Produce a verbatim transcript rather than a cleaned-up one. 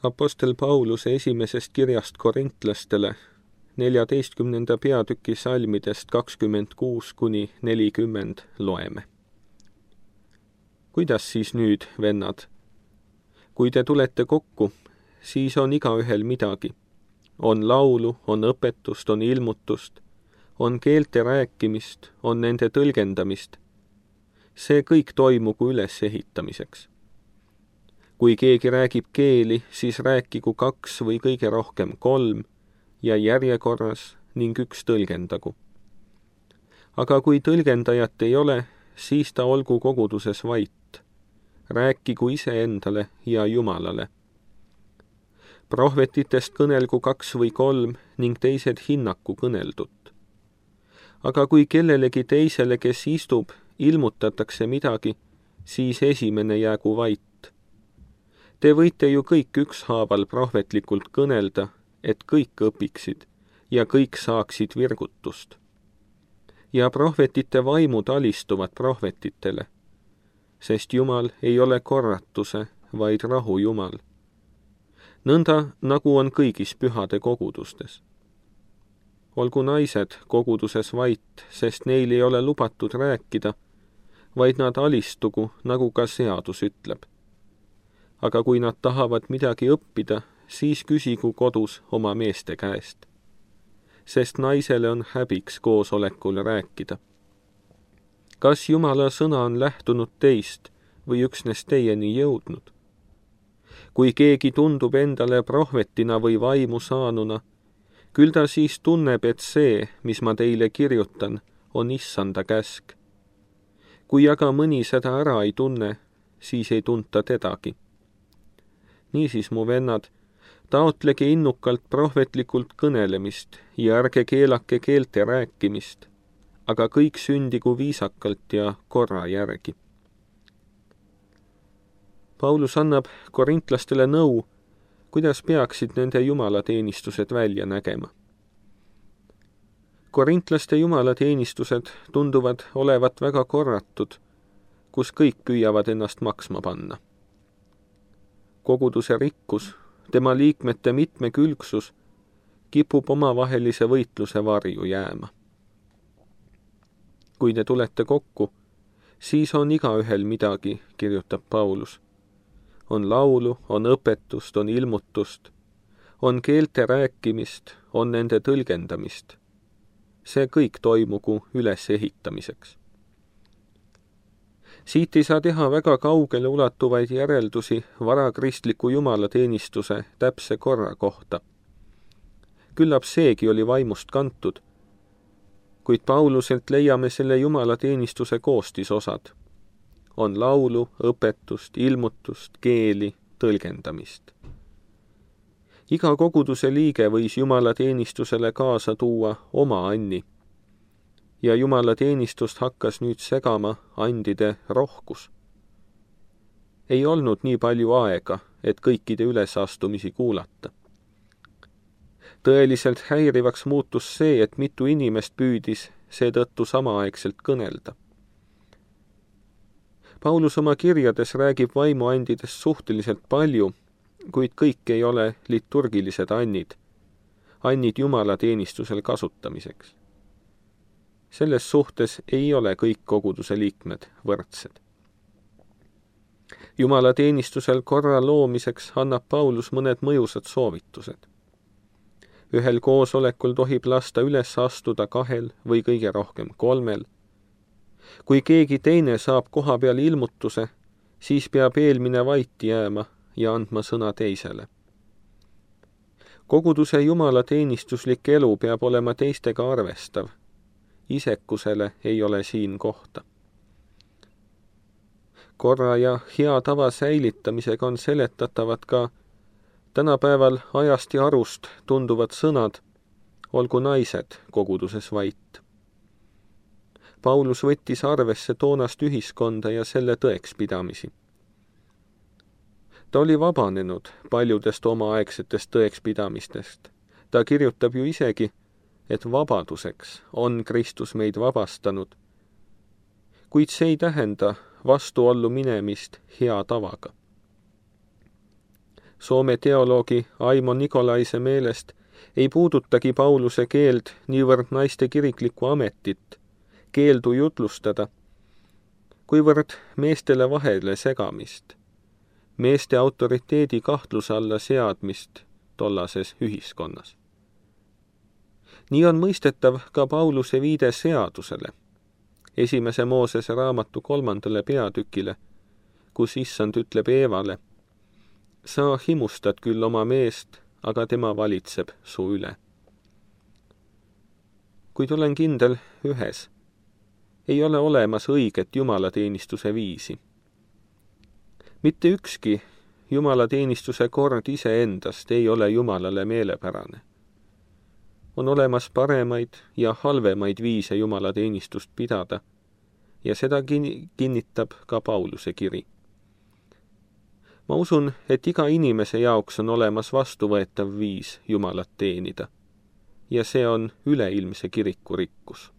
Apostel Pauluse esimesest kirjast korintlastele neljateistkümnenda peatüki salmidest kakskümmend kuus kuni nelikümmend loeme. Kuidas siis nüüd, vennad? Kui te tulete kokku, siis on igaühel midagi. On laulu, on õpetust, on ilmutust, on keelte rääkimist, on nende tõlgendamist. See kõik toimugu ülesehitamiseks. Kui keegi räägib keeli, siis rääkigu kaks või kõige rohkem kolm ja järjekorras ning üks tõlgendagu. Aga kui tõlgendajat ei ole, siis ta olgu koguduses vait. Rääkigu iseendale ja Jumalale. Prohvetitest kõnelgu kaks või kolm ning teised hinnaku kõneldut. Aga kui kellelegi teisele, kes istub, ilmutatakse midagi, siis esimene jäägu vait. Te võite ju kõik ükshaaval prohvetlikult kõnelda, et kõik õpiksid ja kõik saaksid virgutust. Ja prohvetite vaimud alistuvad prohvetitele, sest Jumal ei ole korratuse, vaid rahu Jumal. Nõnda, nagu on kõigis pühade kogudustes. Olgu naised koguduses vait, sest neil ei ole lubatud rääkida, vaid nad alistugu, nagu ka seadus ütleb. Aga kui nad tahavad midagi õppida, siis küsigu kodus oma meeste käest. Sest naisele on häbiks koosolekul rääkida. Kas Jumala sõna on lähtunud teist või üksnes teieni jõudnud? Kui keegi tundub endale prohvetina või vaimu saanuna, küll ta siis tunneb, et see, mis ma teile kirjutan, on issanda käsk. Kui aga mõni seda ära ei tunne, siis ei tunta tedagi. Niisiis, mu vennad, taotlege innukalt prohvetlikult kõnelemist ja ärge keelake keelte rääkimist, aga kõik sündigu viisakalt ja korra järgi. Paulus annab korintlastele nõu, kuidas peaksid nende jumalateenistused välja nägema. Korintlaste jumalateenistused tunduvad olevat väga korratud, kus kõik püüavad ennast maksma panna. Koguduse rikkus, tema liikmete mitmekülgsus kipub omavahelise võitluse varju jääma. Kui te tulete kokku, siis on igaühel midagi, kirjutab Paulus. On laulu, on õpetust, on ilmutust, on keelte rääkimist, on nende tõlgendamist. See kõik toimugu ülesehitamiseks. Siit ei saa teha väga kaugele ulatuvaid järeldusi varakristliku jumalateenistuse täpse korra kohta. Küllap seegi oli vaimust kantud, kuid Pauluselt leiame selle jumalateenistuse koostisosad. On laulu, õpetust, ilmutust, keeli, tõlgendamist. Iga koguduse liige võis jumalateenistusele kaasa tuua oma anni. Ja jumalateenistust hakkas nüüd segama andide rohkus. Ei olnud nii palju aega, et kõikide ülesastumisi kuulata. Tõeliselt häirivaks muutus see, et mitu inimest püüdis seetõttu samaaegselt kõnelda. Paulus oma kirjades räägib vaimuandidest suhteliselt palju, kuid kõik ei ole liturgilised annid, annid jumalateenistusel kasutamiseks. Selles suhtes ei ole kõik koguduse liikmed võrdsed. Jumalateenistusel korra loomiseks annab Paulus mõned mõjusad soovitused. Ühel koosolekul tohib lasta üles astuda kahel või kõige rohkem kolmel. Kui keegi teine saab koha peal ilmutuse, siis peab eelmine vait jääma ja andma sõna teisele. Koguduse jumalateenistuslik elu peab olema teistega arvestav. Isekusele ei ole siin kohta. Korra ja hea tava säilitamisega on seletatavad ka tänapäeval ajast ja arust tunduvad sõnad, olgu naised koguduses vait. Paulus võttis arvesse toonast ühiskonda ja selle tõekspidamisi. Ta oli vabanenud paljudest omaaegsetest tõekspidamistest. Ta kirjutab ju isegi, et vabaduseks on Kristus meid vabastanud, kuid see ei tähenda vastuollu minemist hea tavaga. Soome teoloogi Aimo Nikolaise meelest ei puudutagi Pauluse keeld niivõrd naiste kiriklikku ametit, keeldu jutlustada, kuivõrd meestele vahele segamist, meeste autoriteedi kahtluse alla seadmist tollases ühiskonnas. Nii on mõistetav ka Pauluse viide seadusele, esimese Moosese raamatu kolmandale peatükile, kus issand ütleb Eevale: sa himustad küll oma meest, aga tema valitseb su üle. Kuid olen kindel ühes: ei ole olemas õiget jumalateenistuse viisi. Mitte ükski jumalateenistuse kord iseendast ei ole Jumalale meelepärane. On olemas paremaid ja halvemaid viise jumalateenistust pidada, ja seda kinnitab ka Pauluse kiri. Ma usun, et iga inimese jaoks on olemas vastuvõetav viis Jumalat teenida, ja see on üleilmse kiriku rikkus.